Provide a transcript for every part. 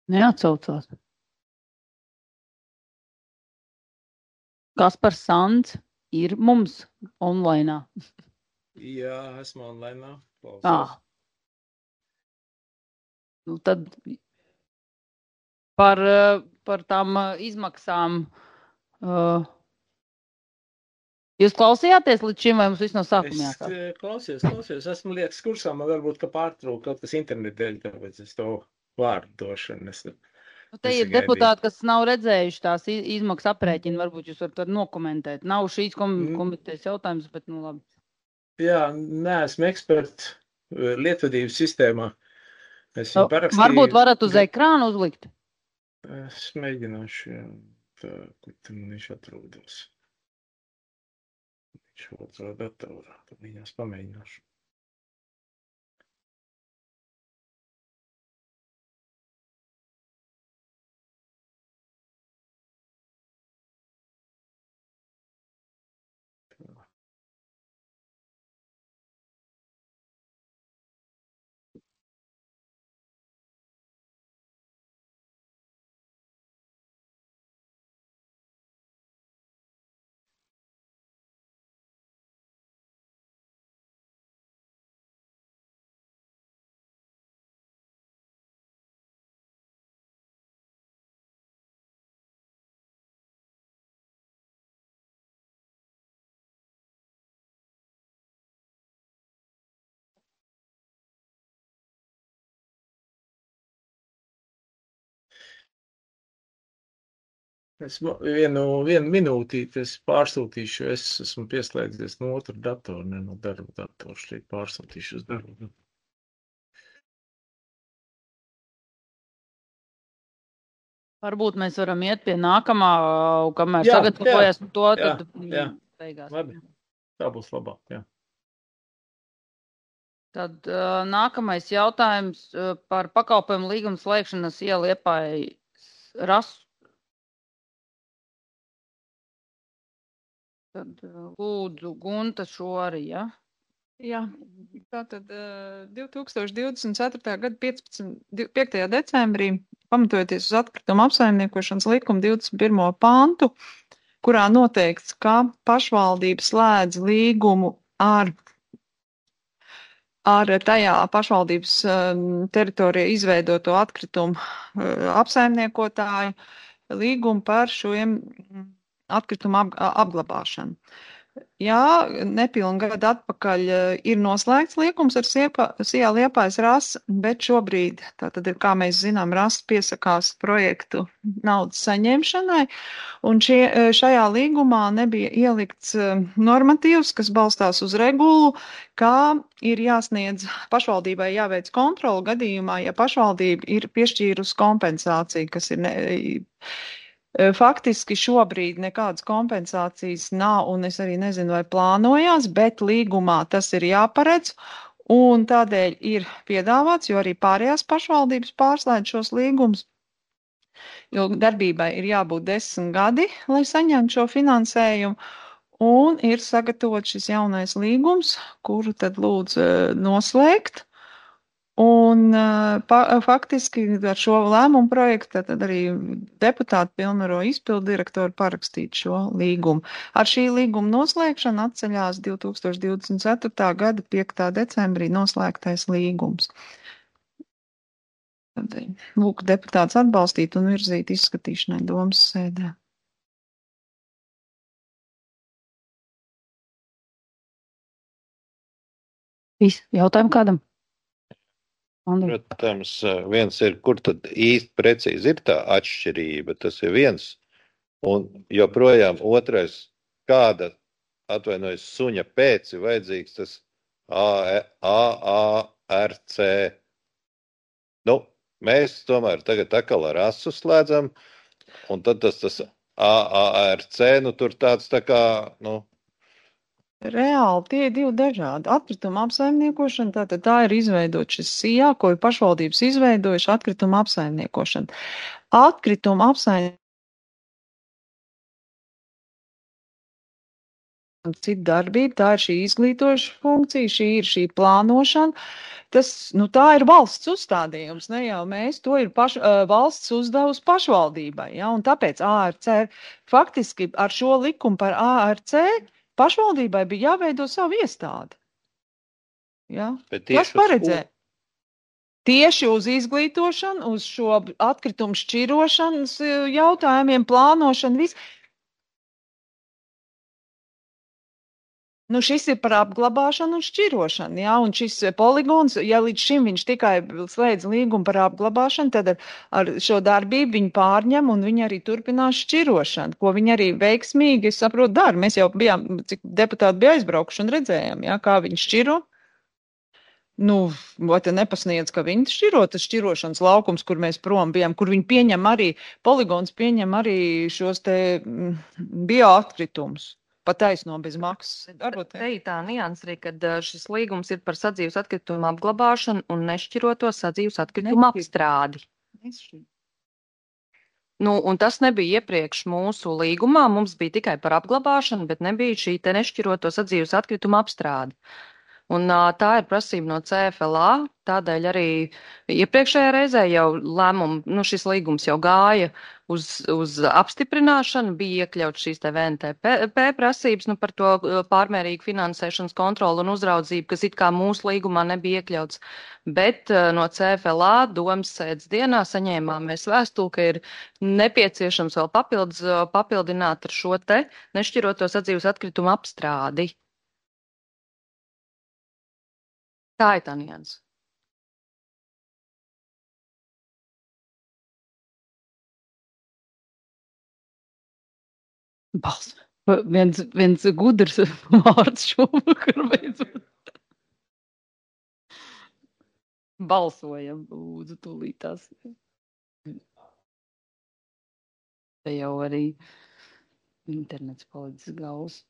Neatsaucās. Kaspars Sands ir mums online. Jā, esmu online. Ah. Nu, tad par tām izmaksām. Jūs klausījāties līdz šim, vai mums viss no sākuma jāsāk? Es klausījos. Esmu liekas kursā, man varbūt, ka pārtrūk kaut kas internetu dēļ, tāpēc es to vārdu došanu. Te ir deputāti, kas nav redzējuši tās izmaksu aprēķinu, varbūt jūs varat nokomentēt. Nav šīs komitejas jautājums, bet nu labi. Jā, neesmu eksperts lietvedības sistēmā. Es viņu parakstīju. Varbūt varat uz ekrānu uzlikt? Es mēģināšu, jā. Tā, kur tam viņš atrodas. Viņš otrā datorā, tad viņās pamēģināšu. Es vienu minūtīti pārsūtīšu, es esmu pieslēdzies no otra datora, ne no darba datora, šeit pārsūtīšu uz darbu. Varbūt mēs varam iet pie nākamā, kamēr sagatavojas to, tad beigās. Labi, tā būs labāk, jā. Tad nākamais jautājums par pakalpojumu līgumu slēgšanas Liepājas rasu. Tad lūdzu Gunta šo arī, ja? Jā, tātad 2024. gada 5. decembrī, pamatojoties uz atkritumu apsaimniekošanas likuma 21. pantu, kurā noteikts, ka pašvaldība slēdz līgumu ar tajā pašvaldības teritorijā izveidoto atkritumu apsaimniekotāju līgumu par šiem atkritumu apglabāšanu. Jā, nepilnu gadu atpakaļ ir noslēgts līgums ar SIA Liepājas rasu, bet šobrīd, tātad ir, kā mēs zinām, rasa piesakās projektu naudas saņemšanai, un šajā līgumā nebija ielikts normatīvs, kas balstās uz regulu, kā ir jāsniedz pašvaldībai jāveic kontroli gadījumā, ja pašvaldība ir piešķīrusi kompensāciju, kas ir faktiski šobrīd nekādas kompensācijas nav, un es arī nezinu, vai plānojās, bet līgumā tas ir jāparedz, un tādēļ ir piedāvāts, jo arī pārējās pašvaldības pārslēdz šos līgumus, jo darbībai ir jābūt 10 gadi, lai saņemtu šo finansējumu, un ir sagatavots šis jaunais līgums, kuru tad lūdzu noslēgt. Un faktiski ar šo lēmumu projektu tad arī deputāti pilnvaro izpildu direktoru parakstīt šo līgumu. Ar šī līguma noslēgšanu atceļās 2024. gada 5. decembrī noslēgtais līgums. Tad, lūk, deputāts atbalstīt un virzīt izskatīšanai domas sēdē. Viss, jautājumu kādam? Protams, viens ir, kur tad īsti precīzi ir tā atšķirība, tas ir viens, un joprojām otrais, kāda, atvainojas, suņa pēc ir vajadzīgs tas AARC. Nu, mēs tomēr tagad atkal ar asu slēdzam, un tad tas AARC, nu tur tāds tā kā, nu. Reāli tie ir divi dažādi. Atkrituma apsaimniekošana, tātad tā ir izveidot šis SIA, ko ir pašvaldības izveidojuši atkrituma apsaimniekošana. Atkrituma apsaimniekošana pavisam cita darbība, tā ir šī izglītoša funkcija, šī ir šī plānošana. Tā ir valsts uzstādījums, ne jau mēs, to ir valsts uzdevusi pašvaldībai, ja, un tāpēc ARC, faktiski ar šo likumu par ARC pašvaldībai bija jāveido savu iestādi. Ja. Kas paredzē? Tieši uz izglītošanu, uz šo atkritumu šķirošanas jautājumiem, plānošanu, visu. Šis ir par apglabāšanu un šķirošanu, ja, un šis poligons, ja līdz šim viņš tikai slēdz līgumu par apglabāšanu, tad ar šo darbību viņi pārņem un viņi arī turpinās šķirošanu, ko viņi arī veiksmīgi, es saprotu, dara. Mēs jau bijām, cik deputāti bija aizbraukuši un redzējām, ja, kā viņi šķiro. Vai te nepasniedz, ka viņi šķiro, tas šķirošanas laukums, kur mēs prom bijām, kur viņi pieņem arī, poligons pieņem arī šos te bioatkritumus. Pataisno bez maksas. Te ir tā nianses arī, kad šis līgums ir par sadzīves atkritumu apglabāšanu un nešķiroto sadzīves atkritumu apstrādi. Un tas nebija iepriekš mūsu līgumā, mums bija tikai par apglabāšanu, bet nebija šī te nešķiroto sadzīves atkritumu apstrādi. Un tā ir prasība no CFLA, tādēļ arī iepriekšējā reizē jau lēmumu, šis līgums jau gāja uz apstiprināšanu, bija iekļauts šīs te VNTP prasības, par to pārmērīgu finansēšanas kontroli un uzraudzību, kas it kā mūsu līgumā nebija iekļauts. Bet no CFLA domas sēdes dienā saņēmām mēs vēstuli, ka ir nepieciešams vēl papildināt ar šo te nešķiroto sadzīves atkritumu apstrādi. Tā ir tā nianse. Balss. Viens gudrs vārds šovakar beidzot. Balsojam, lūdzu, tūlītās. Te jau arī internets palicis gals.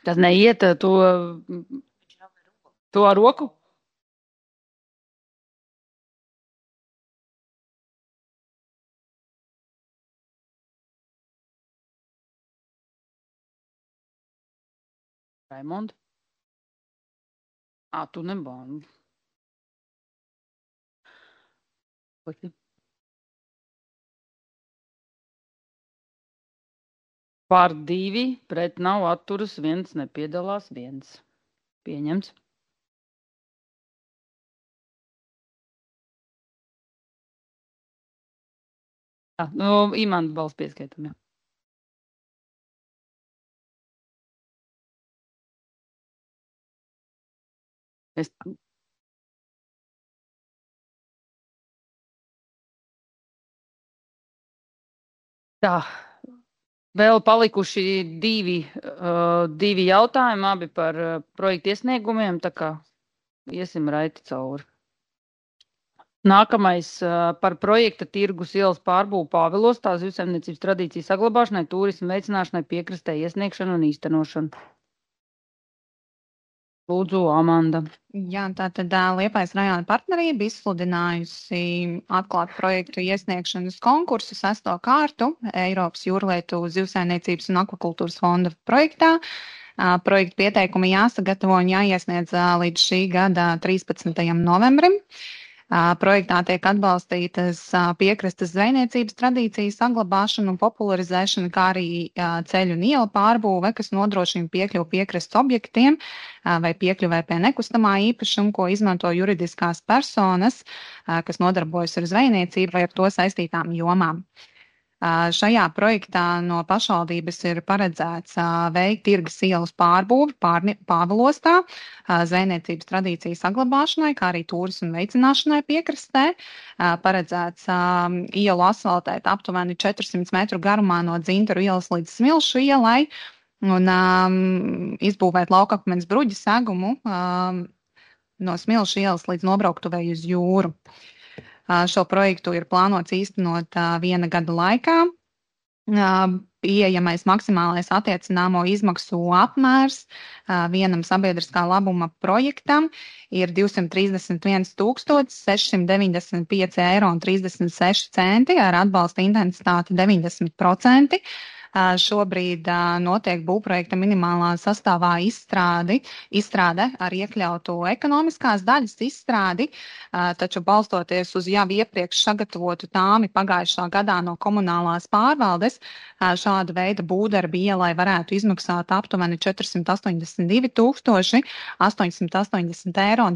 Tas neiet to ar roku? Raimond? Tu nebāni. Par 2, pret nav atturas, 1 nepiedalās, 1. Pieņemts. Imanta balss pieskaitam, jā. Tā. Vēl palikuši 2 jautājumi, abi par projektu iesniegumiem, tā kā iesim raiti cauri. Nākamais par projekta tirgus ielas pārbūvu Pāvilostā, zivsaimniecības tradīciju saglabāšanai, turismu veicināšanai, piekrastē iesniegšanu un īstenošanu. Lūdzu, Amanda. Jā, tātad Liepājas rajona partnerība izsludinājusi atklāt projektu iesniegšanas konkursu 6. kārtu Eiropas jūrlietu zivsaimniecības un akvakultūras fonda projektā. Projektu pieteikumi jāsagatavo un jāiesniedz līdz šī gada 13. novembrim. Projektā tiek atbalstītas piekrastes zvejniecības tradīcijas saglabāšana un popularizēšana, kā arī ceļu un ielu pārbūve, kas nodrošina piekļuvu piekrastes objektiem vai piekļuvē pie nekustamā īpašuma, ko izmanto juridiskās personas, kas nodarbojas ar zvejniecību vai ar to saistītām jomām. Šajā projektā no pašvaldības ir paredzēts veikt tirgus ielas pārbūvi Pāvilostā, zvejniecības tradīciju saglabāšanai, kā arī turismu veicināšanai piekrastē. Paredzēts ielu asfaltēt aptuveni 400 metru garumā no Dzintaru ielas līdz Smilšu ielai un izbūvēt laukakmens bruģi segumu no Smilšu ielas līdz nobrauktuvei uz jūru. Šo projektu ir plānots īstenot 1 gada laikā. Pieejamais maksimālais attiecināmo izmaksu apmērs vienam sabiedriskā labuma projektam ir 231 695,36 eiro ar atbalsta intensitāti 90%. Šobrīd notiek būvprojekta minimālā sastāvā izstrāde ar iekļautu ekonomiskās daļas izstrādi, taču balstoties uz jau iepriekš sagatavotu tāmi pagājušā gadā no komunālās pārvaldes, šāda veida būvdarbi ielai varētu izmaksāt aptuveni 482 880,91 eiro.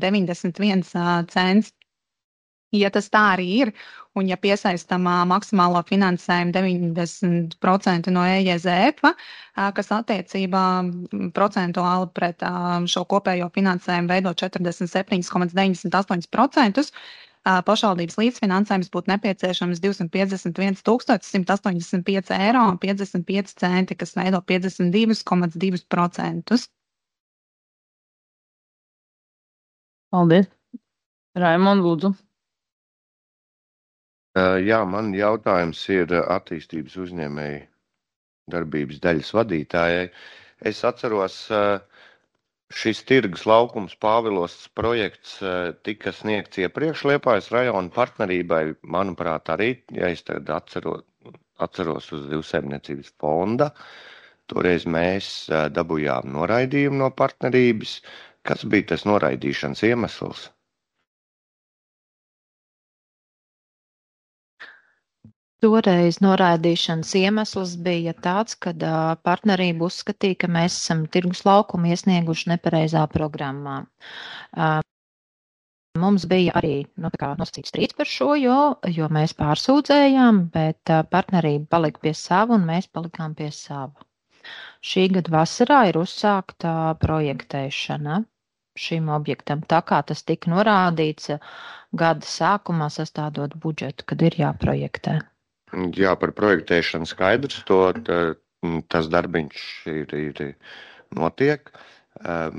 Ja tas tā arī ir, un ja piesaistam maksimālo finansējumu 90% no EJZF, kas attiecībā procentuāli pret šo kopējo finansējumu veido 47,98%, pašvaldības līdzfinansējums būtu nepieciešams 251 185,55 eiro, kas veido 52,2%. Paldies. Raimond, lūdzu. Jā, man jautājums ir attīstības uzņēmēju darbības daļas vadītājai. Es atceros, šis tirgus laukums Pāvilostas projekts tika sniegts iepriekš Liepājas rajona partnerībai. Manuprāt, arī, ja es tagad atceros uz Zivsaimniecības fonda, toreiz mēs dabūjām noraidījumu no partnerības. Kas bija tas noraidīšanas iemesls? Toreiz noraidīšanas iemesls bija tāds, ka partnerība uzskatīja, ka mēs esam tirgus laukumu iesnieguši nepareizā programmā. Mums bija arī nosacīts strīds par šo, jo mēs pārsūdzējām, bet partnerība palika pie sava un mēs palikām pie sava. Šī gada vasarā ir uzsākta projektēšana šim objektam, tā kā tas tika norādīts gada sākumā sastādot budžetu, kad ir jāprojektē. Jā, par projektēšanu skaidrs, tas darbiņš ir notiek,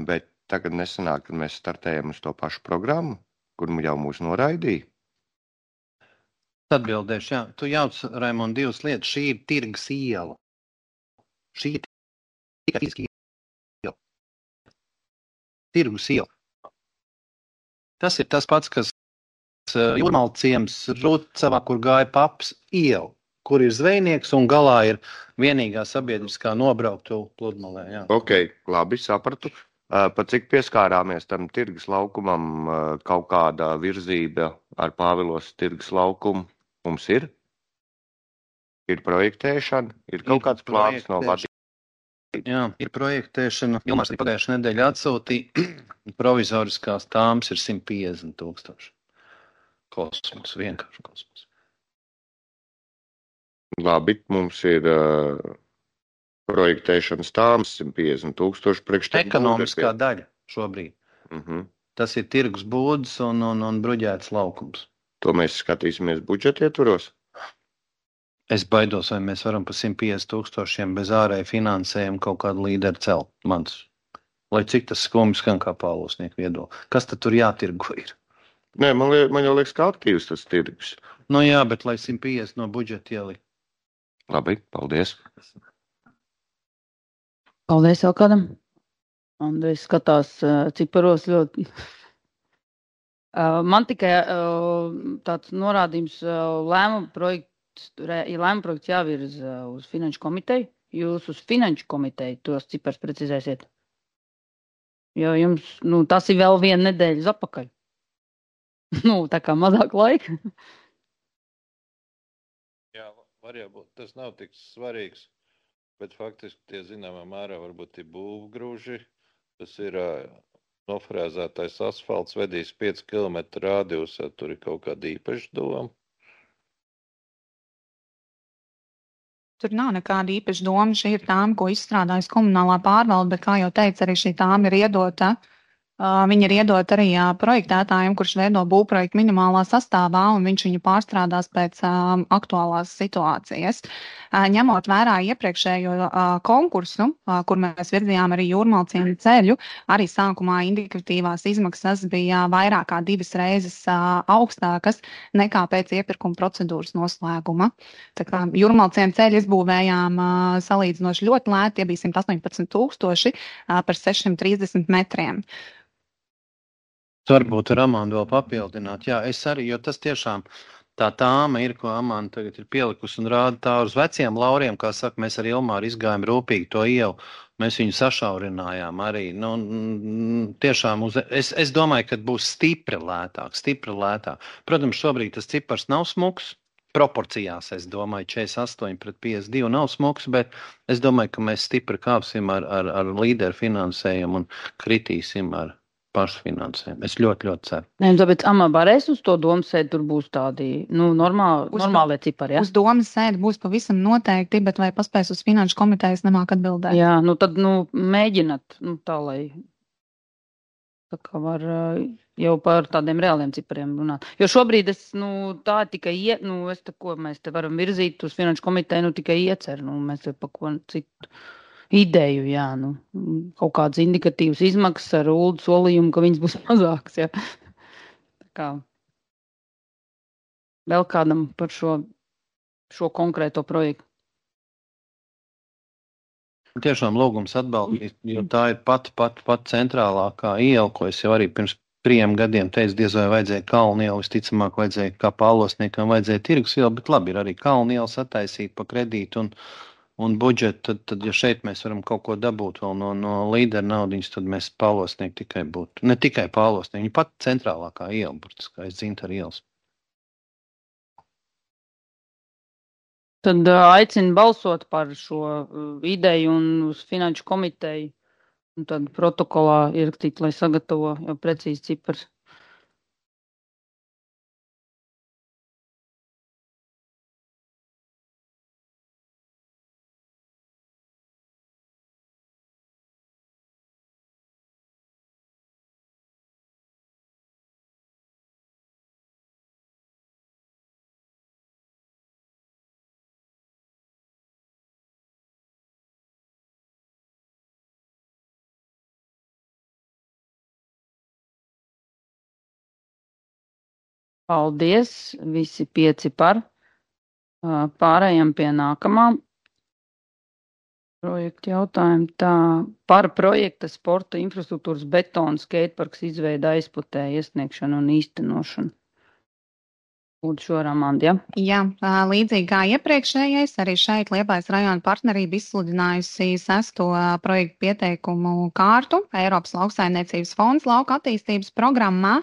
bet tagad nesanāk, kad mēs startējam uz to pašu programmu, kur jau mūs noraidīja. Atbildēšu, jā. Tu jauc, Raimond, divas lietas. Šī ir tirgus iela. Šī ir tikai fiziski iela. Tirgus iela. Tas ir tas pats, kas Jūrmala ciems Rūcavā, kur gāja paps iela, kur ir zvejnieks un galā ir vienīgā sabiedriskā nobrauktu pludmalē. Jā. Ok, labi, sapratu. Pa cik pieskārāmies tam tirgus laukumam, kaut kāda virzība ar Pāvilos tirgus laukumu mums ir? Ir projektēšana, ir kaut kāds plāns no vadības? Jā, ir projektēšana. Ilmārs arī pagājušajā nedēļā atsūtīja. Provizoriskās tāmas ir 150,000. Kosmos, vienkārši kosmos. Labi, mums ir projektēšanas tāmas 150,000 priekš. Ekonomiskā daļa šobrīd. Tas ir tirgus būdas un bruģēts laukums. To mēs skatīsimies budžeta ietvaros? Es baidos, vai mēs varam pa 150,000 bez ārēja finansējumu kaut kādu līderu celt. Lai cik tas skumji skan kā Pāvilosnieku viedokli. Kas tad tur jātirgo ir? Nē, man jau liekas, kā aktīvs tas tirgus. Nu jā, bet lai 150 no budžeta ielikt. Labi, paldies. Paldies vēl kādam. Andrejs skatās ciparos ļoti. Man tikai tāds norādījums lēmuma projekts jāvirza uz finanšu komiteju. Jūs uz finanšu komiteju tos cipars precizēsiet. Jo jums, tas ir vēl viena nedēļa uz apakaļ. Tā kā mazāk laika. Jā, var jābūt. Tas nav tik svarīgs, bet faktiski tie zināmā mērā varbūt ir būvgrūži. Tas ir nofrēzētais asfalts, vedīs 5 km rādījusā, tur ir kaut kāda īpaša doma. Tur nav nekāda īpaša doma. Šī ir tāma, ko izstrādājas komunālā pārvalde, bet, kā jau teicu, arī šī tāma ir iedota Viņi ir iedot arī projektētājiem, kurš veido būvprojektu minimālā sastāvā, un viņš viņu pārstrādās pēc aktuālās situācijas. Ņemot vērā iepriekšējo konkursu, kur mēs virzījām arī Jūrmalciemu ceļu, arī sākumā indikatīvās izmaksas bija vairāk kā 2 reizes augstākas nekā pēc iepirkuma procedūras noslēguma. Tā kā Jūrmalciemu ceļu izbūvējām salīdzinoši ļoti lēti, tie bija 118 000 par 630 metriem. Varbūt ar Amandu vēl papildināt. Jā, es arī, jo tas tiešām tā tāma ir, ko Amanda tagad ir pielikusi un rāda tā uz veciem lauriem, kā saka, mēs ar Ilmāru izgājām rūpīgi to ielu, mēs viņu sašaurinājām arī. Tiešām, es domāju, ka būs stipri lētāk. Protams, šobrīd tas cipars nav smuks, proporcijās, es domāju, 48 pret 52 nav smuks, bet es domāju, ka mēs stipri kāpsim ar līderu finansējumu un kritīsim ar pašfinansējumu. Es ļoti ceru. Nē, tāpēc varēs uz to domu sēdi, tur būs tādi, normālie cipari, ja? Uz domas sēdi būs pavisam noteikti, bet vai paspēs uz finanšu komitejas nemāk atbildēt? Jā, tad, mēģināt, tā lai tā kā var jau par tādiem reāliem cipariem runāt. Jo šobrīd tā tikai, mēs te varam virzīt uz finanšu komiteju, tikai iecer, mēs te pa ko citu. Ideju, jā, kaut kādas indikatīvas izmaksas ar ULD solījumu, ka viņas būs mazākas, jā. Tā kā vēl kādam par šo konkrēto projektu. Tiešām lūgums atbalstīt, jo tā ir pat centrālākā iela, ko es jau arī pirms 3 gadiem teicu, diez vai vajadzēja kalnu ielu, visticamāk vajadzēja kā Pālosniekam vajadzēja tirgus ielu, bet labi ir arī kalnu ielu sataisīt pa kredītu un budžetu, tad, ja šeit mēs varam kaut ko dabūt vēl no līderu naudiņas, tad mēs Pālosnieku tikai būtu. Ne tikai Pālosnieku, viņa pat centrālākā iela, burtiski, aiz Dzintaru ielas. Tad aicinu balsot par šo ideju un uz finanšu komiteju, un tad protokolā ierakstīt, lai sagatavo jau precīzi cipars. Paldies, visi 5 par. Pārējām pie nākamā projekta jautājuma. Tā par projekta sporta infrastruktūras betona skateparks izveida aizputē iesniegšanu un īstenošanu. Lūdzu šo Amandi, ja? Jā, līdzīgi kā iepriekšējais, arī šeit Liepājas rajona partnerība izsludinājusi 6. projektu pieteikumu kārtu Eiropas lauksaimniecības fonds lauka attīstības programmā.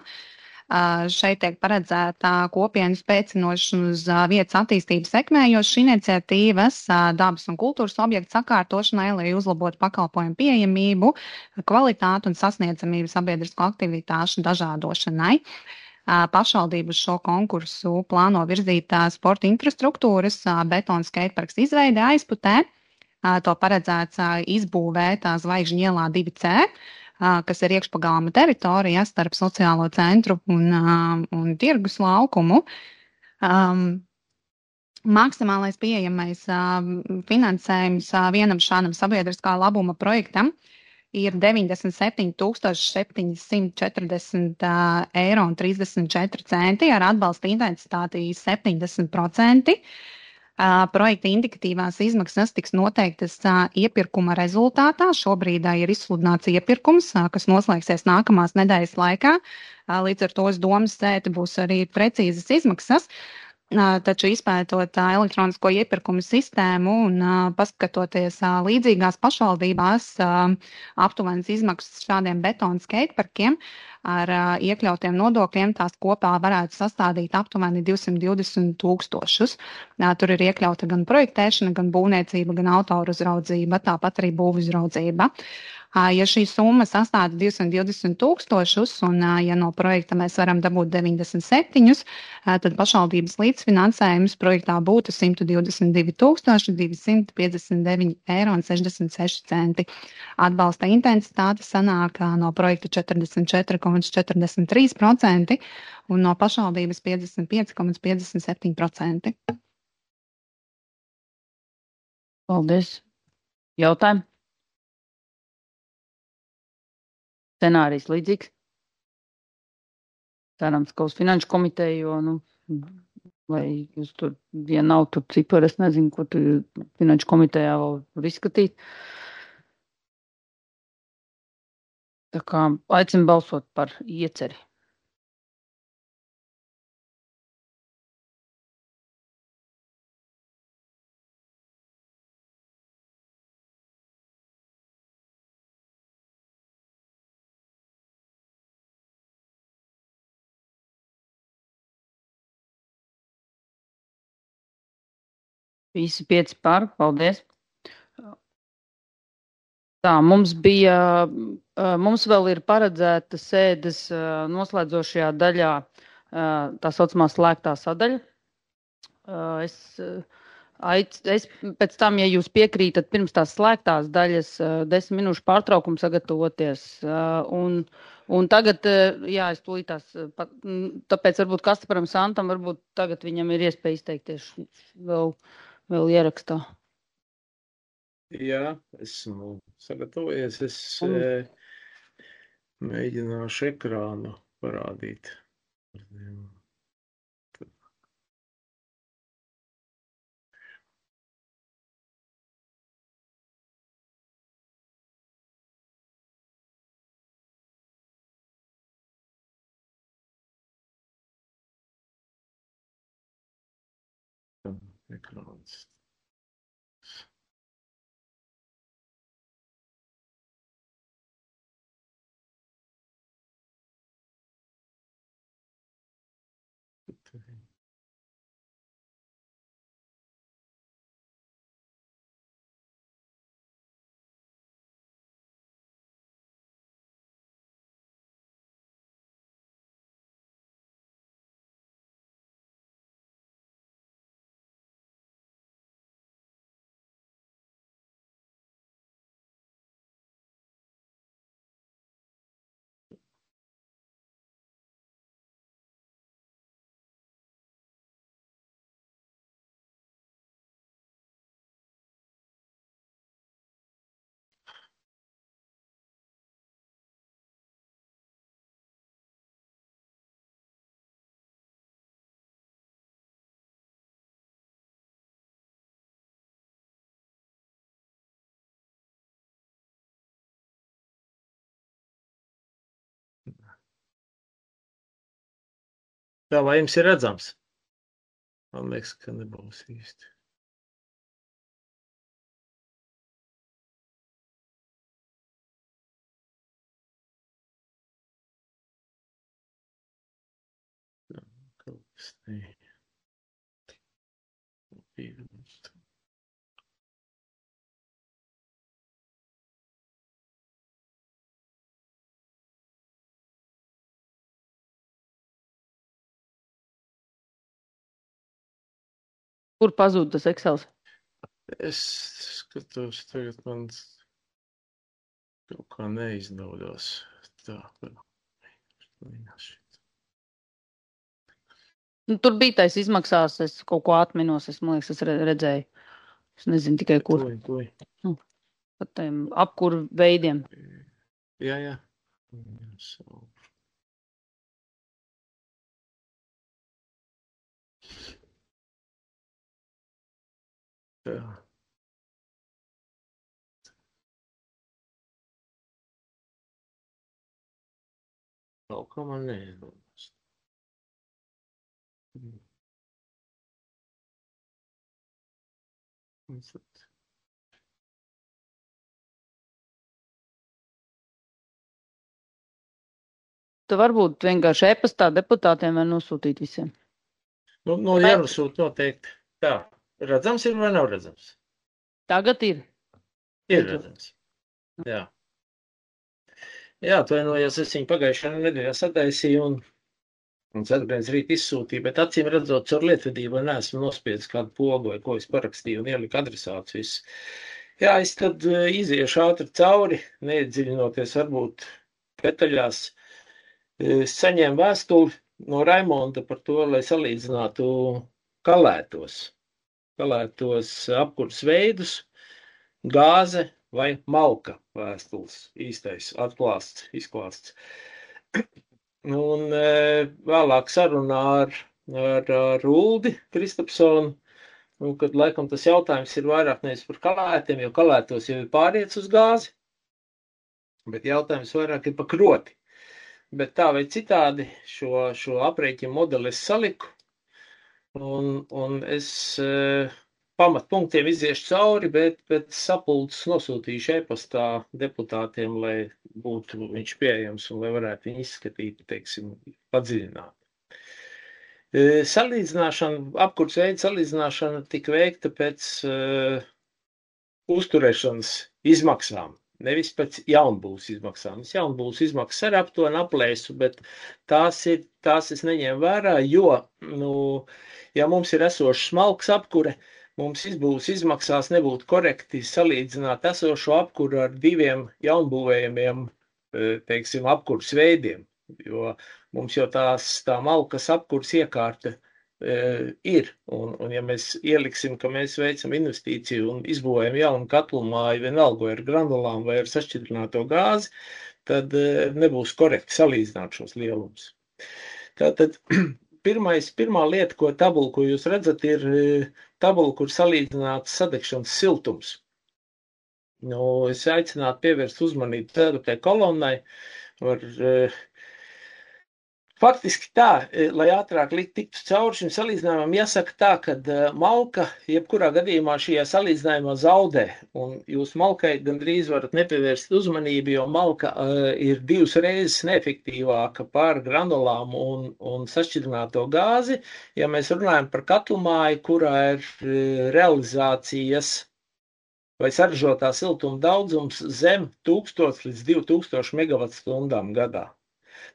Šeit tiek paredzēta kopienu spēcinošana uz vietas attīstības sekmējošas iniciatīvas, dabas un kultūras objektu sakārtošanai, lai uzlabotu pakalpojumu pieejamību, kvalitāti un sasniedzamību sabiedrisko aktivitāšu dažādošanai. Pašvaldību uz šo konkursu plāno virzīt sporta infrastruktūras betona skateparks izveide aizputē. To paredzēts izbūvēt Zvaigžņu ielā 2C. Kas ir iekšpagalma teritorija starp sociālo centru un tirgus laukumu. Maksimālais pieejamais finansējums vienam šādam sabiedriskā labuma projektam ir 97 740 eiro un 34 centi ar atbalsta intensitāti 70%. Projekta indikatīvās izmaksas tiks noteiktas iepirkuma rezultātā. Šobrīd ir izsludināts iepirkums, kas noslēgsies nākamās nedēļas laikā. Līdz ar to uz domas sēdi būs arī precīzas izmaksas. Taču izpētot elektronisko iepirkumu sistēmu un paskatoties līdzīgās pašvaldībās aptuvenas izmaksas šādiem betona skateparkiem ar iekļautiem nodokļiem, tās kopā varētu sastādīt aptuveni 220 000. Tur ir iekļauta gan projektēšana, gan būvniecība, gan autoru uzraudzība, tāpat arī būvu uzraudzība. Ja šī summa sastāda 220,000 un ja no projekta mēs varam dabūt 97, tad pašvaldības līdzfinansējums projektā būtu 122,259,66 €. Atbalsta intensitāte sanāk no projekta 44,43% un no pašvaldības 55,57%. Paldies. Jautājumi? Scenārijs līdzīgs. Cerams, ka uz finanšu komiteju, jo, vai jūs tur, ja nav tur cipari, es nezinu, ko tur finanšu komitejā vēl var izskatīt. Tā kā aicinu balsot par ieceri. Visi 5 par, paldies. Tā, mums vēl ir paredzēta sēdes noslēdzošajā daļā tā saucamā slēgtā sadaļa. Es pēc tam, ja jūs piekrītat, pirms tās slēgtās daļas 10 minūšu pārtraukumu sagatavoties. Un tagad, jā, es tūlītās, tāpēc varbūt Kastaparam Santam, varbūt tagad viņam ir iespēja izteikties vēl ierakstā. Jā, esmu sagatavojies. Es mēģināšu ekrānu parādīt. Ekrāns. Tā, vai jums ir redzams? Man liekas, ka nebūs īsti. Kaut kas ne. Kur pazūd tas Excels? Es skatos, tagad man kaut kā neizdodas. Tā, Tur bija tais izmaksās, es kaut ko atminos, man liekas, es redzēju. Es nezinu tikai kur. Pat tiem apkuru veidiem. Jā. Tā. Kaut kā man neizdodas. Tu varbūt vienkārši e-pastā deputātiem var nosūtīt visiem. No jānosūt noteikti. Tā, redzams ir vai nav redzams? Tagad ir. Ir redzams. Jā. Jā, atvainojos, es viņu pagājušajā nedēļā sataisīju un ceturtdienas rīt izsūtīju, bet acīm redzot, caur lietvedību neesmu nospiedis kādu pogu vai ko es parakstīju un ieliku adresāts viss. Jā, es tad iziešu ātri cauri, neiedziļinoties varbūt detaļās. Es saņēmu vēstuli no Raimonda par to, lai salīdzinātu kalētos apkurs veidus, gāze vai malka vēstules īstais izklāsts. Un vēlāk sarunā ar Uldi Kristapsonu, kad laikam tas jautājums ir vairāk nevis par kalētiem, jo kalētos jau ir pāriets uz gāzi, bet jautājums vairāk ir par kroti. Bet tā vai citādi šo aprēķinu modeli es saliku, un es pamatpunktiem iziešu cauri, bet sapulces nosūtīšu e-pastā deputātiem, lai būtu viņš pieejams un lai varētu viņu izskatīt, teiksim, padziļināt. Apkurs veidu salīdzināšana tika veikta pēc uzturēšanas izmaksām, nevis pēc jaunbūves izmaksām. Jaunbūves izmaksas arī aptuveni aplēsu, bet tās es neņēmu vērā, jo, ja mums ir esošs smalks apkure, mums izbūves izmaksās nebūtu korekti salīdzināt esošo apkuru ar diviem jaunbūvējumiem, teiksim, apkurs veidiem, jo mums jau tā malkas apkurs iekārta ir, un ja mēs ieliksim, ka mēs veicam investīciju un izbūvējam jaunu katlumāju, vienalga ar granulām vai ar sašķidrināto gāzi, tad nebūs korekti salīdzināt šos lielumus. Tātad pirmā lieta, tabula, ko jūs redzat, ir tabula, kur salīdzināts sadegšanas siltums. Es aicinātu pievērst uzmanību ceturtajai kolonnai. Faktiski tā, lai ātrāk tiktu cauri šim salīdzinājumam, jāsaka tā, ka malka jebkurā gadījumā šajā salīdzinājumā zaudē, un jūs malkai gandrīz varat nepievērst uzmanību, jo malka ir 2 reizes neefektīvāka par granulām un sašķidrināto gāzi, ja mēs runājam par katlumāju, kurā ir realizācijas vai saražotā siltuma daudzums zem 1000 līdz 2000 megavatstundām gadā.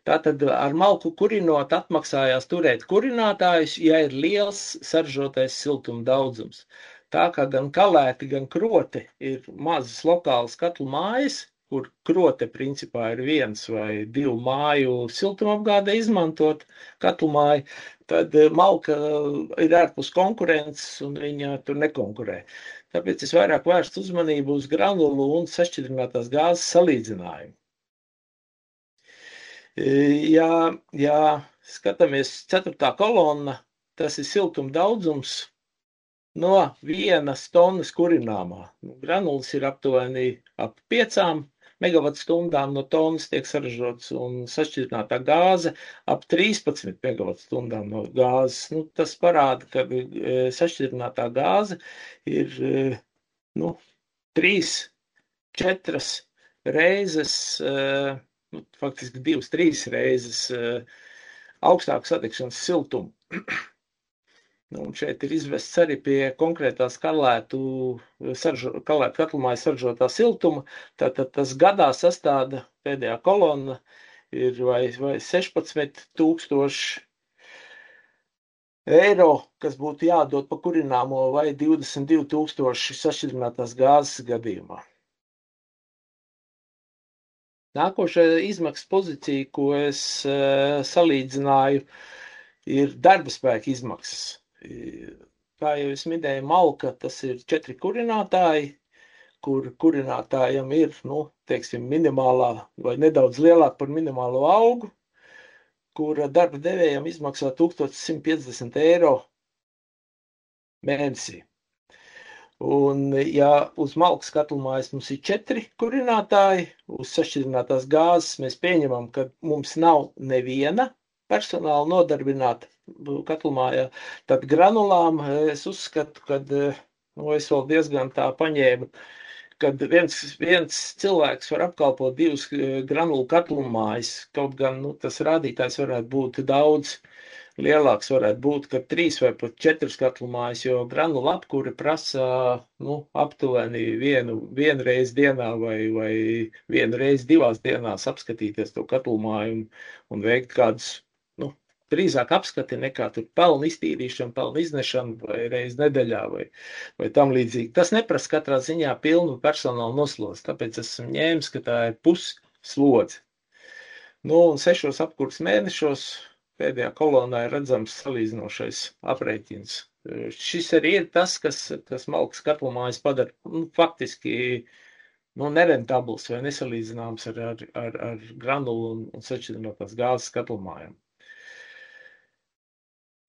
Tātad ar malku kurinot atmaksājās turēt kurinātājus, ja ir liels saražotais siltuma daudzums. Tā kā gan kalēti, gan kroti ir mazas lokālas katlu mājas, kur krote principā ir 1 vai 2 māju siltumapgādē izmantot katlu māju, tad malka ir ārpus konkurences un viņa tur nekonkurē. Tāpēc es vairāk vērstu uzmanību uz granulu un sašķidrinātās gāzes salīdzinājumu. Ja skatāmies 4. kolonna, tas ir siltuma daudzums no 1 tonnas kurināmā. Granulas ir aptuveni ap 5 megavatstundām no tonnas tiek saražots un sašķidrinātā gāze ap 13 megavatstundām no gāzes. Tas parāda, ka sašķidrinātā gāze ir 3-4 reizes, faktiski 2-3 reizes augstāku sadegšanas siltumu. Un šeit ir izvests arī pie konkrētās kalētu katlumāju saražotā siltuma. Tātad tas gadā sastāda pēdējā kolonna ir vai 16,000 eiro, kas būtu jādod pa kurināmo, vai 22,000 sašķidrinātās gāzes gadījumā. Nākošā izmaksas pozīcija, ko es salīdzināju, ir darba spēka izmaksas. Kā jau es minēju, malka, tas ir 4 kurinātāji, kur kurinātājam ir, teiksim, minimālā vai nedaudz lielāk par minimālo algu, kura darba devējam izmaksā 1150 eiro mēnesī. Un, ja uz malkas katlumājas mums ir 4 kurinātāji, uz sašķidrinātās gāzes mēs pieņemam, ka mums nav neviena personāla nodarbināta katlumājā, tad granulām es uzskatu, ka es vēl diezgan tā paņēmu, kad viens cilvēks var apkalpot 2 granulu katlumājas, kaut gan tas rādītājs varētu būt daudz lielāks varētu būt, ka 3 vai pat 4 katlu mājas, jo granula apkuri prasa aptuveni vienu reizi dienā vai vienu reizi 2 dienās apskatīties to katlu māju un veikt kādus, drīzāk apskati nekā tur pelnu iztīrīšanu, pelnu iznešanu vai reizi nedēļā vai tam līdzīgi. Tas neprasa katrā ziņā pilnu personālu noslodzi, tāpēc esmu ņēmis, ka tā ir pusslodze. Un 6 apkurs mēnešos pēdējā kolonā ir redzams salīdzinošais aprēķins. Šis arī ir tas, kas malkas katlumājas padara faktiski nerentabls vai nesalīdzināms ar granulu un sašķidrinātās gāzes katlumājām.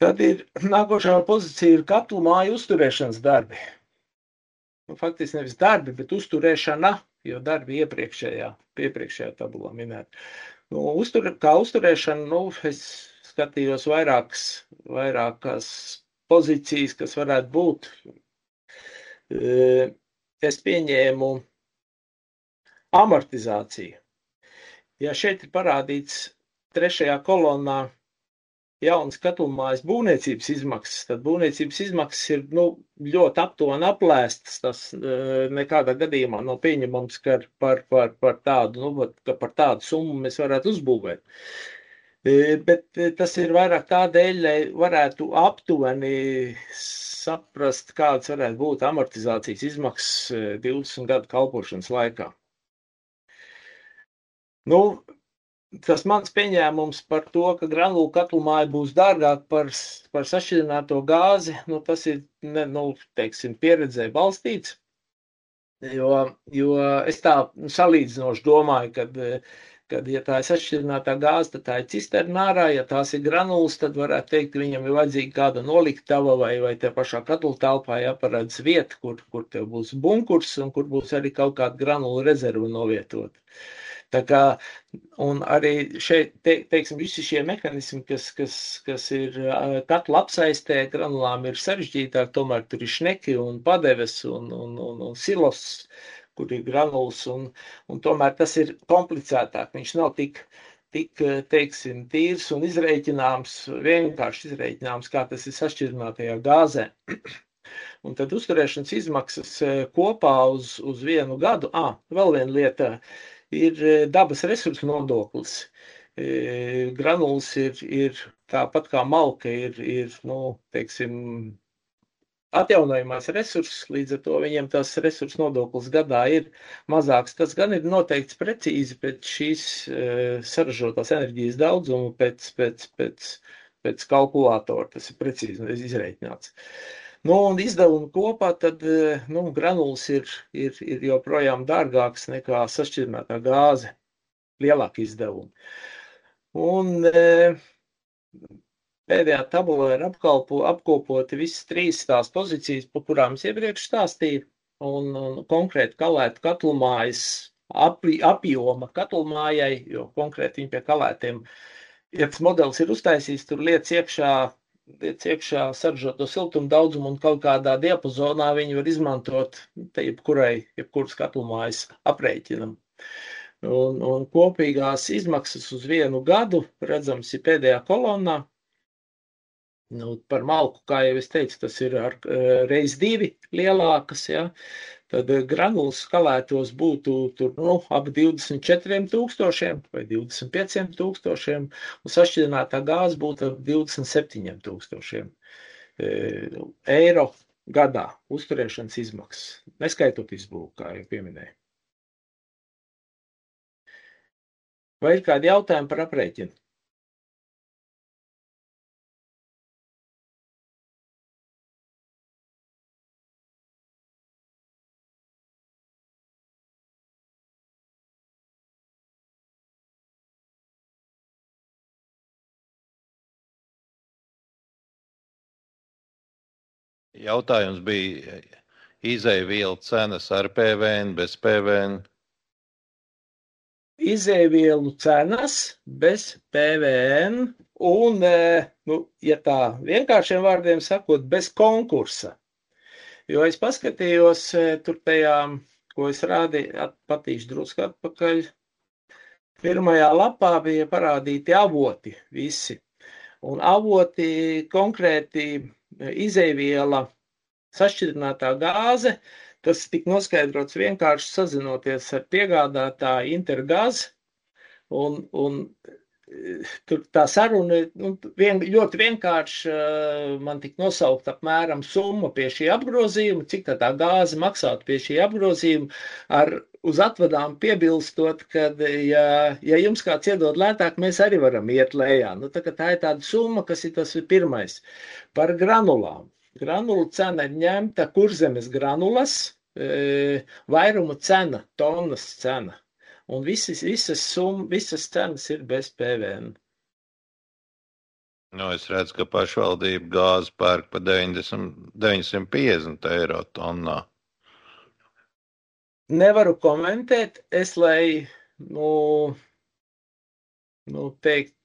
Tad ir nākošā pozīcija ir katlu māju uzturēšanas darbi. Faktiski nevis darbi, bet uzturēšana, jo darbi iepriekšējā tabulā minēt. Kā uzturēšana, es skatījos vairākas pozīcijas, kas varētu būt. Es pieņēmu amortizāciju. Ja šeit ir parādīts 3. kolonā jaunas katlumājas būvniecības izmaksas, tad būvniecības izmaksas ir ļoti aptuveni aplēstas. Tas nekādā gadījumā nav pieņemams, ka par tādu summu mēs varētu uzbūvēt. Bet tas ir vairāk tādēļ, lai varētu aptuveni saprast, kādas varētu būt amortizācijas izmaksas 20 gadu kalpošanas laikā. Tas mans pieņēmums par to, ka granulu katlumāja būs dārgāk par sašķidrināto gāzi, tas ir, pieredzē balstīts, jo es tā salīdzinoši domāju, kad ja tā ir sašķidrinātā gāze, tad tā ir cisterna ārā, ja tās ir granulas, tad varētu teikt, ka viņam ir vajadzīga kāda noliktava vai te pašā katlu telpā jāparedz vieta, kur tev būs bunkurs un kur būs arī kaut kāda granulu rezerva novietot. Tā kā, un arī šeit, teiksim, visi šie mehanismi, kas ir katlu apsaistē, granulām ir sarežģītāk, tomēr tur ir šneki un padeves un silos, kur ir granulas, un tomēr tas ir komplicētāk. Viņš nav tik teiksim, tīrs un izrēķināms, vienkārši izrēķināms, kā tas ir sašķidrinātajā gāzē. Un tad uzturēšanas izmaksas kopā uz 1 gadu. Vēl viena lieta. Ir dabas resursu nodoklis. Granulas ir tāpat kā malka, ir atjaunojamais resurss, līdz ar to viņiem tas resursu nodoklis gadā ir mazāks. Tas gan ir noteikts precīzi pēc šīs saražotās enerģijas daudzuma, pēc kalkulātora, tas ir precīzi izreikināts. Un izdevumi kopā, tad granulas ir joprojām dārgāks nekā sašķidrinātā gāze, lielāki izdevumi. Un pēdējā tabulā ir apkopoti visas 3 tās pozīcijas, par kurām es iepriekš stāstīju, un konkrēti kalētu katlumājas apjoma katlumājai, jo konkrēti viņi pie kalētiem, ja tas modelis ir uztaisīts, tur liec iekšā saražoto siltumu daudzumu un kaut kādā diapazonā viņi var izmantot jebkuras katlumājas aprēķinam. Un kopīgās izmaksas uz 1 gadu, redzams, ir pēdējā kolonnā. Par malku, kā jau es teicu, tas ir reiz 2 lielākas, ja. Tad granulas kalētos būtu tur, ap 24,000 vai 25,000, un sašķidrinātā gāze būtu ap 27,000 eiro gadā uzturēšanas izmaksas, neskaitot izbūvu, kā jau pieminēju. Vai ir kādi jautājumi par aprēķinu? Jautājums bija izēvielu cenas ar PVN, bez PVN. Izēvielu cenas bez PVN un, ja tā vienkāršiem vārdiem sakot, bez konkursa. Jo es paskatījos tur tajā, ko es rādīju, patīšu drusku atpakaļ. Pirmajā lapā bija parādīti avoti visi. Un avoti konkrēti izeiviela sašķidrinātā gāze, tas tika noskaidrots vienkārši sazinoties ar piegādātāju Intergaz, un tur tā saruna ļoti vienkārši man tika nosaukt apmēram summa pie šī apgrozījuma, cik tā gāze maksātu pie šī apgrozījuma, uz atvadām piebilstot, ka, ja jums kāds iedod lētāk, mēs arī varam iet lejā. Tā ir tāda summa, kas ir tas pirmais. Par granulām. Granulu cena ir ņemta Kurzemes granulas, vairuma cena, tonnas cena. Un visas cenas ir bez PVN. Es redzu, ka pašvaldība gāzi pērk pa 950 eiro tonnā. Nevaru komentēt, lai, teikt,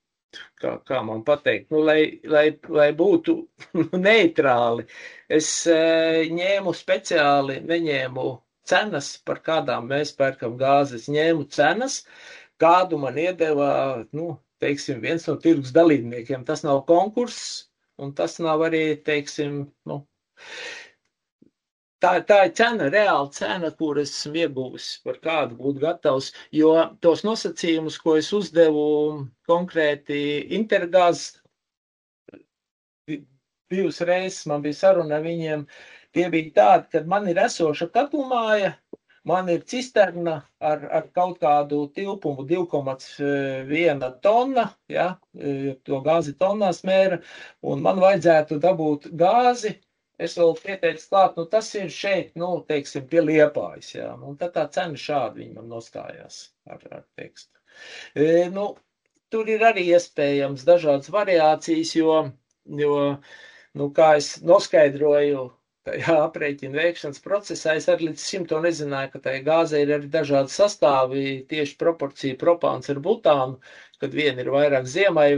kā man pateikt, lai būtu neitrāli. Es neņēmu cenas, par kādām mēs pērkam gāzi. Es ņēmu cenas, kādu man iedeva, teiksim, viens no tirgus dalībniekiem. Tas nav konkurss, un tas nav arī, teiksim, tā ir cena, reāla cena, kur esmu ieguvis, par kādu būtu gatavs, jo tos nosacījumus, ko es uzdevu konkrēti Intergaz, divas reizes man bija saruna ar viņiem, tie bija tādi, kad man ir esoša katlumāja, man ir cisterna ar kaut kādu tilpumu 2,1 tonna, ja, to gāzi tonnās mēra, un man vajadzētu dabūt gāzi. Es vēl pieteicu klāt, tas ir šeit, teiksim, pie Liepājas, jā. Un tad tā cena šādi viņam nostājās ar tekstu. Tur ir arī iespējams dažādas variācijas, jo kā es noskaidroju tajā aprēķina veikšanas procesā, es arī līdz šim to nezināju, ka tajā gāzē ir arī dažādi sastāvi, tieši proporcija propāns ar butānu, kad viena ir vairāk ziemai,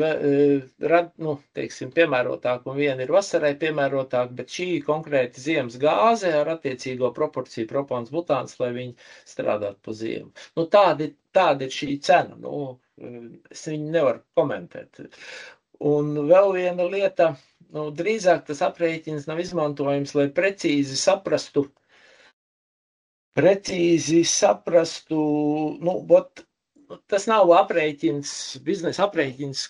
teiksim, piemērotāk, un viena ir vasarai piemērotāk, bet šī konkrēti ziemas gāze ar attiecīgo proporciju propāns butāns, lai viņi strādātu pa ziemu. Tāda ir šī cena, es viņu nevaru komentēt. Un vēl viena lieta, drīzāk tas aprēķins nav izmantojams, lai precīzi saprastu, tas nav aprēķins, biznesa aprēķins,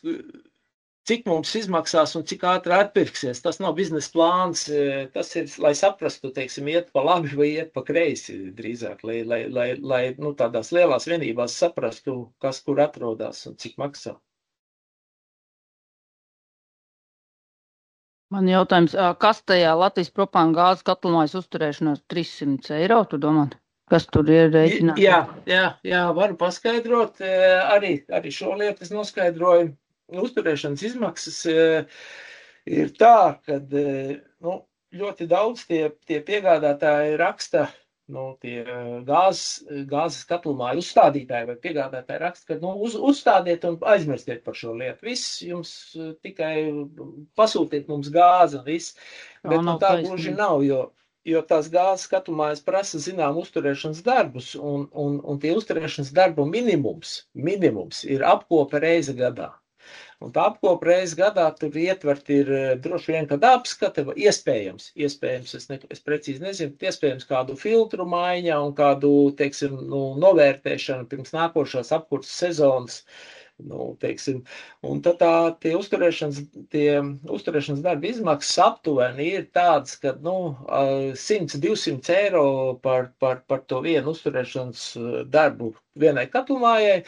cik mums izmaksās un cik ātri atpirksies. Tas nav biznesa plāns, tas ir, lai saprastu, teiksim, iet pa labi vai iet pa kreisi drīzāk, lai tādās lielās vienībās saprastu, kas kur atrodas un cik maksā. Man jautājums, kas tajā Latvijas propāna gāzes katlumājas uzturēšanās 300 eiro, tu domā? Kas tur ir rēķināts? Jā, varu paskaidrot. Arī šo lietu es noskaidroju. Uzturēšanas izmaksas ir tā, kad ļoti daudz tie piegādātāji raksta, tie gāzes katlumāju uzstādītāji vai piegādātāji raksta, ka uzstādiet un aizmirstiet par šo lietu. Viss jums tikai pasūtiet mums gāzi un viss. Bet tā gluži nav, jo tās gāzes katlumājas prasa zinām uzturēšanas darbus, un tie uzturēšanas darbu minimums ir apkope reize gadā. Un tā apkopa reizi gadā tur ietvert ir droši vien, kad apskata, iespējams, es precīzi nezinu, iespējams kādu filtru maiņa un kādu, teiksim, novērtēšanu pirms nākošās apkurses sezonas, teiksim. Un tad tie uzturēšanas darba izmaksas aptuveni ir tādas, ka 100-200 eiro par to vienu uzturēšanas darbu vienai katlumājai,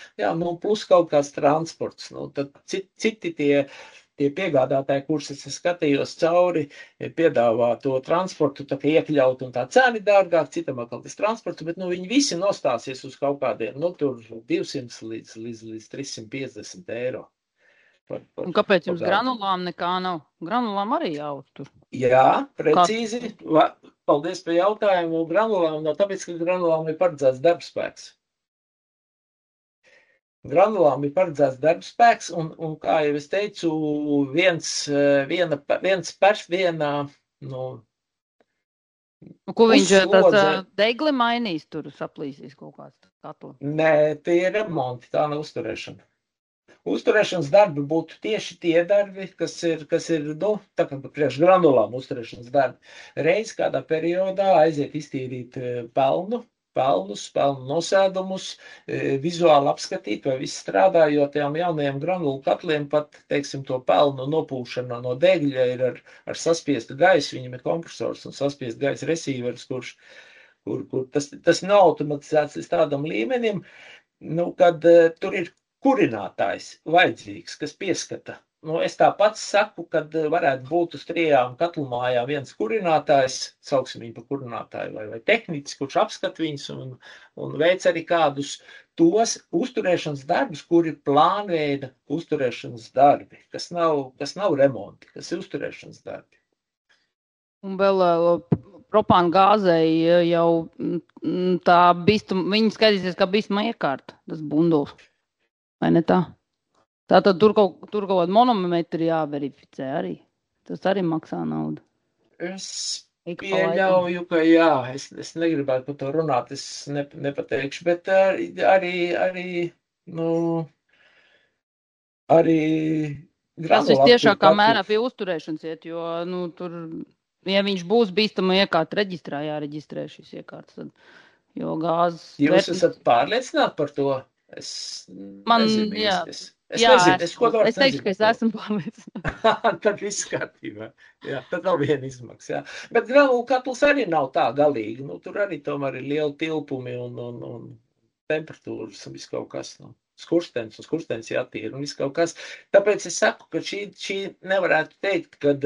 plus kaut kāds transports. Tad citi tie piegādātāji, kurus es skatījos cauri, piedāvā to transportu tā kā iekļaut un tā cena ir dārgāk, citam atkal tas transports, bet viņi visi nostāsies uz kaut kādiem, tur 200 līdz 350 eiro. Un kāpēc jums granulām nekā nav? Granulām arī jāuztur. Jā, precīzi. Paldies par jautājumu. Granulām nav tāpēc, ka granulām ir paredzēts darbspēks. Granulām ir paredzēts darbspēks, un kā jau es teicu, Ko viņš tas degli mainīs, tur saplīsīs kaut kāds katlu? Nē, tie ir remonti, tā nav uzturēšana. Uzturēšanas darbi būtu tieši tie darbi, kas ir tā kā priekš granulām uzturēšanas darbi. Reiz kādā periodā aiziet iztīrīt pelnu nosēdumus, vizuāli apskatīt, vai viss strādā, jo tiem jaunajiem granulu katliem pat, teiksim, to pelnu nopūšana no degļa ir ar saspiestu gaisu, viņam ir kompresors un saspiest gaisa receivers, kur tas nav automatizēts līdz tādam līmenim, kad tur ir kurinātājs vajadzīgs, kas pieskata. Es tāpat saku, kad varētu būt uz 3 katlumājām viens kurinātājs, sauksim viņu par kurinātāju vai tehnicis, kurš apskat viņus un veic arī kādus tos uzturēšanas darbus, kuri plānveida uzturēšanas darbi, kas nav remonti, kas ir uzturēšanas darbi. Un vēl propāna gāzei jau tā viņi skatīsies kā bīstama iekārta, tas bunduls, vai ne tā? Tātad tur kaut kādu monometru jāverificē arī. Tas arī maksā naudu. Es pieļauju, ka jā, es negribētu par to runāt, es nepateikšu, bet arī tas vistiešākā mērā pie uzturēšanas iet, jo tur, ja viņš būs bīstama iekārta reģistrā, jāreģistrē šīs iekārtas, jo gāzes... Jūs esat pārliecināti par to? Es teikšu, ka es esmu pārliecināts. Tad viss kārtībā. Jā, tad nav viena izmaksa. Jā. Bet granulu katls arī nav tā galīgi. Tur arī tomēr ir lieli tilpumi un temperatūras un viss kaut kas. Skurstenis jātīra un viss kaut kas. Tāpēc es saku, ka šī nevarētu teikt, kad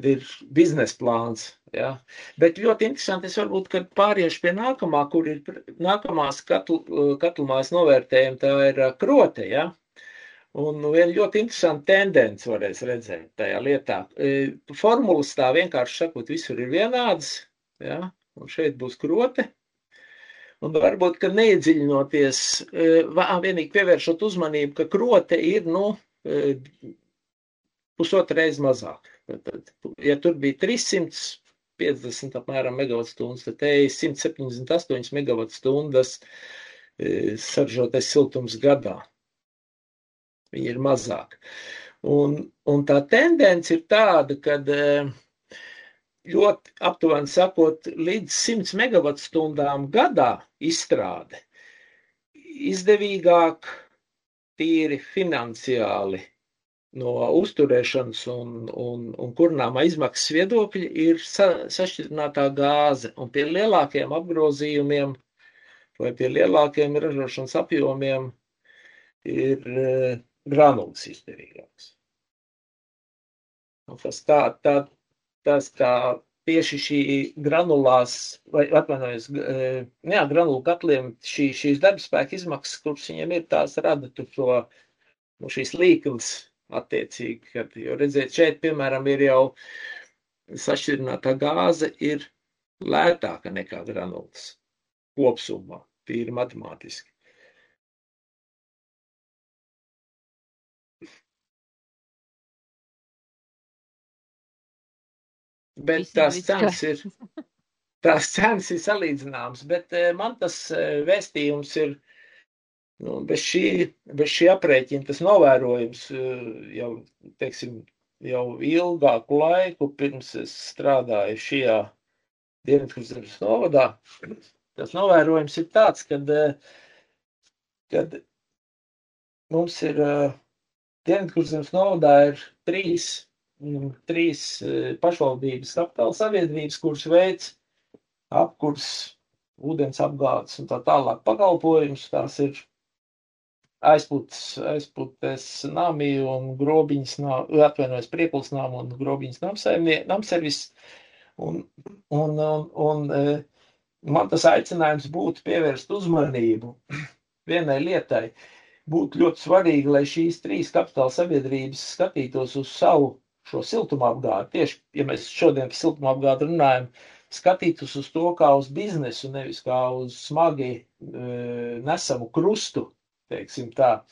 ir biznesa plāns. Ja? Bet ļoti interesanti, es varbūt, kad pāriešu pie nākamā, kur ir nākamās katlumājas novērtējuma, tā ir krote, ja? Un viena ļoti interesanta tendence varēs redzēt tajā lietā. Formulas tā vienkārši sakot, visur ir vienādas, ja? Un šeit būs krote. Un varbūt, ka neiedziļinoties, vienīgi pievēršot uzmanību, ka krote ir, 1,5 reizi mazāk. Ja tur bija 350 apmēram megavatstundas, tad te ir 178 megavatstundas saražotais siltums gadā. Viņi ir mazāk. Un tā tendence ir tāda, kad ļoti aptuveni sakot, līdz 100 megavatstundām gadā izstrāde izdevīgāk tīri finansiāli no uzturēšanas un kurināmā izmaksas viedokļa ir sašķidrinātā gāze. Un pie lielākiem apgrozījumiem vai pie lielākiem ražošanas apjomiem ir granulas izdevīgāks. Tas tā tieši šī granulās, vai atvainojos, granulu katliem šīs darbspēka izmaksas, kuras viņiem ir, tās rada tur šīs līknes attiecīgi, jo redziet, šeit, piemēram, ir jau sašķidrinātā gāze ir lētāka nekā granulas kopsumā, tīri matemātiski. Bet tās cenas ir salīdzināmas, bet man tas vēstījums ir, bez šī aprēķina tas novērojums jau, teiksim, jau ilgāku laiku pirms es strādāju šajā Dienvidkurzemes novadā. Tas novērojums ir tāds, kad mums ir Dienvidkurzemes novadā ir trīs pašvaldības kapitāla sabiedrības, kuras veic apkurs, ūdens apgādes un tā tālāk pakalpojumus. Tās ir aizputes nami un grobiņas, Priekulas nama un grobiņas namservis. Un man tas aicinājums būtu pievērst uzmanību vienai lietai. Būtu ļoti svarīgi, lai šīs 3 kapitāla sabiedrības skatītos uz savu šo siltumapgādi. Tieši, ja mēs šodien par siltumapgādi runājam, skatītos uz to kā uz biznesu, nevis kā uz smagi nesamu krustu, teiksim tā.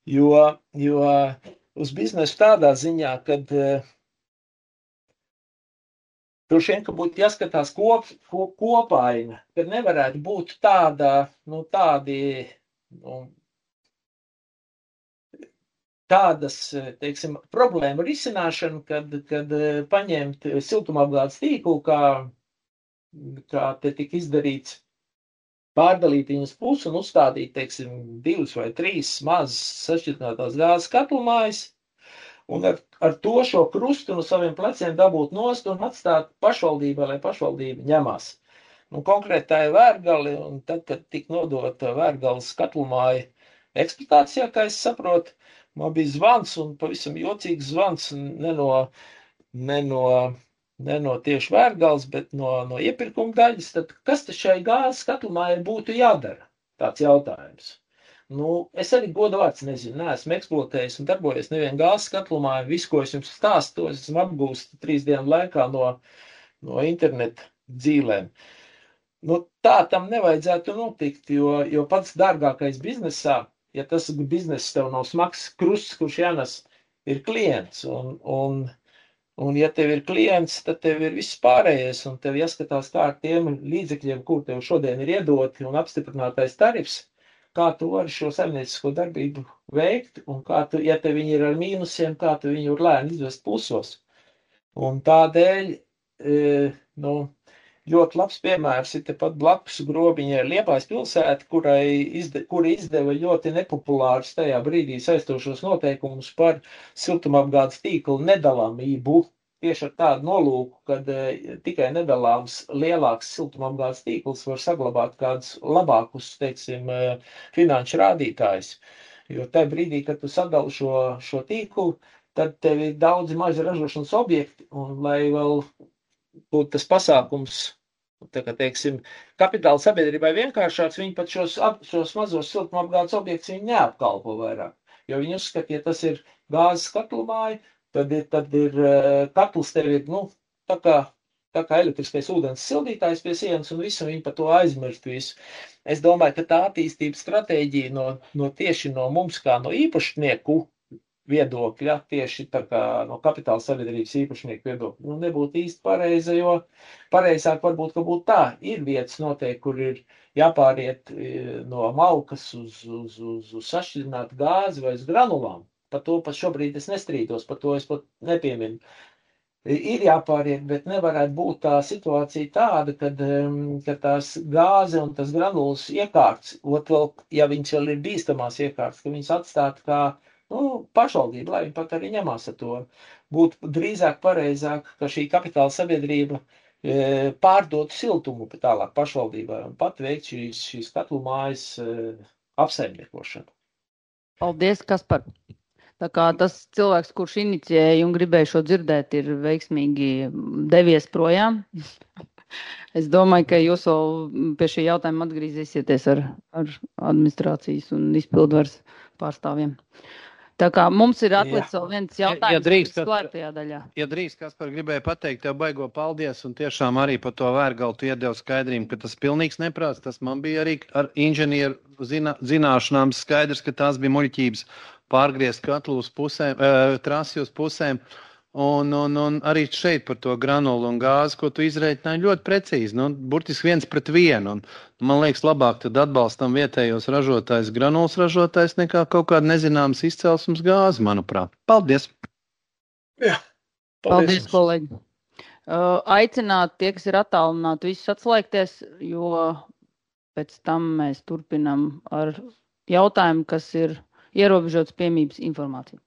Jo uz biznesu tādā ziņā, kad droši vien, ka būtu jāskatās kopaina, kad nevarētu būt tādi tādas, teiksim, problēmu risināšanu, kad paņemt siltumapgādes tīklu, kā te tika izdarīts, pārdalīt viņus pusi un uzstādīt, teiksim, 2 vai 3 mazas sašķidrinātās gāzes katlumājas, un ar to šo krustu no saviem pleciem dabūt nost un atstāt pašvaldībai, lai pašvaldība ņemās. Nu, konkrēti tā ir Vērgali, un tad, kad tika nodota Vērgales katlumāja eksploatācijā, kā es saprotu, man bija zvans, un pavisam jocīgs zvans, ne no tieši Vērgales, bet no iepirkuma daļas, tad kas tad šai gāzes katlumājai būtu jādara? Tāds jautājums. Nu, es arī godu vārds nezinu, neesmu eksploatējis un darbojies nevienu gāzes katlumāju, visu, ko es jums stāstu, es esmu apgūst 3 dienu laikā no interneta dzīlēm. Nu, tā tam nevajadzētu notikt, jo pats dārgākais biznesā, ja tas bizness tev nav smags krusts, kurš jānes, ir klients, un ja tev ir klients, tad tev ir viss pārējais, un tev jāskatās kā ar tiem līdzekļiem, kur tev šodien ir iedoti un apstiprinātais tarifs, kā tu vari šo saimniecisko darbību veikt, un kā tu, ja tev viņi ir ar mīnusiem, kā tu viņu var lēni izvest plusos. Un tādēļ, ļoti labs piemērs ir tepat blakus Grobiņai Liepājas pilsēta, kura izdeva ļoti nepopulārus tajā brīdī saistošos noteikumus par siltumapgādes tīklu nedalāmību. Tieši ar tādu nolūku, kad tikai nedalāms lielāks siltumapgādes tīkls var saglabāt kādus labākus, teiksim, finanšu rādītājus. Jo tajā brīdī, kad tu sadali šo tīklu, tad tev ir daudz mazi ražošanas objekti, un lai vēl būtu tas pasākums, tā kā, teiksim, kapitāla sabiedrībai vienkāršāks, viņi pat šos mazos siltumapgādes objektus viņi neapkalpo vairāk. Jo viņi uzskata, ja tas ir gāzes katlumāja, tad ir katls tev ir, tā kā elektriskais ūdens sildītājs pie sienas un visu, viņi par to aizmirst visu. Es domāju, ka tā attīstības stratēģija tieši no mums kā no īpašnieku viedokļa, tieši tā kā no kapitāla sabiedrības īpašnieku viedokļa, nebūtu īsti pareiza, jo pareizāk varbūt, ka būtu tā. Ir vietas noteikti, kur ir jāpāriet no malkas uz sašķidrinātu gāzi vai uz granulām. Par to pat šobrīd es nestrīdos, par to es pat nepieminu. Ir jāpāriet, bet nevarētu būt tā situācija tāda, kad tās gāze un tas granulas iekārts, vēl, ja viņas vēl ir bīstamās iekārts, ka viņas atstātu kā pašvaldība, lai viņi pat arī ņemās ar to. Būtu drīzāk pareizāk, ka šī kapitāla sabiedrība pārdotu siltumu tālāk pašvaldībai un pat veikt šīs katlumājas apsaimniekošanu. Paldies, Kaspar. Tā kā tas cilvēks, kurš inicijēja un gribēja šo dzirdēt, ir veiksmīgi devies projām. Es domāju, ka jūs vēl pie šī jautājuma atgriezīsieties ar administrācijas un izpildvaras pārstāvjiem. Tā kā mums ir atlicis vēl viens jautājums slēgtajā daļā. Ja drīkst, Kaspar, gribēja pateikt tev baigo paldies un tiešām arī par to Vērgalu tu iedevu skaidrību, ka tas pilnīgs neprāts, tas man bija arī ar inženieru zināšanām skaidrs, ka tās bija muļķības pārgriezt katlu uz pusēm, trasi uz pusēm. Un arī šeit par to granulu un gāzi, ko tu izreikināji ļoti precīzi, burtiski 1:1. Un man liekas, labāk tad atbalstam vietējos ražotājs, granulas ražotājs, nekā kaut kāda nezināmas izcelsmes gāzi, manuprāt. Paldies! Jā, paldies kolēģi! Aicināt tie, kas ir attālināti, visus atslēgties, jo pēc tam mēs turpinam ar jautājumu, kas ir ierobežots piemības informācija.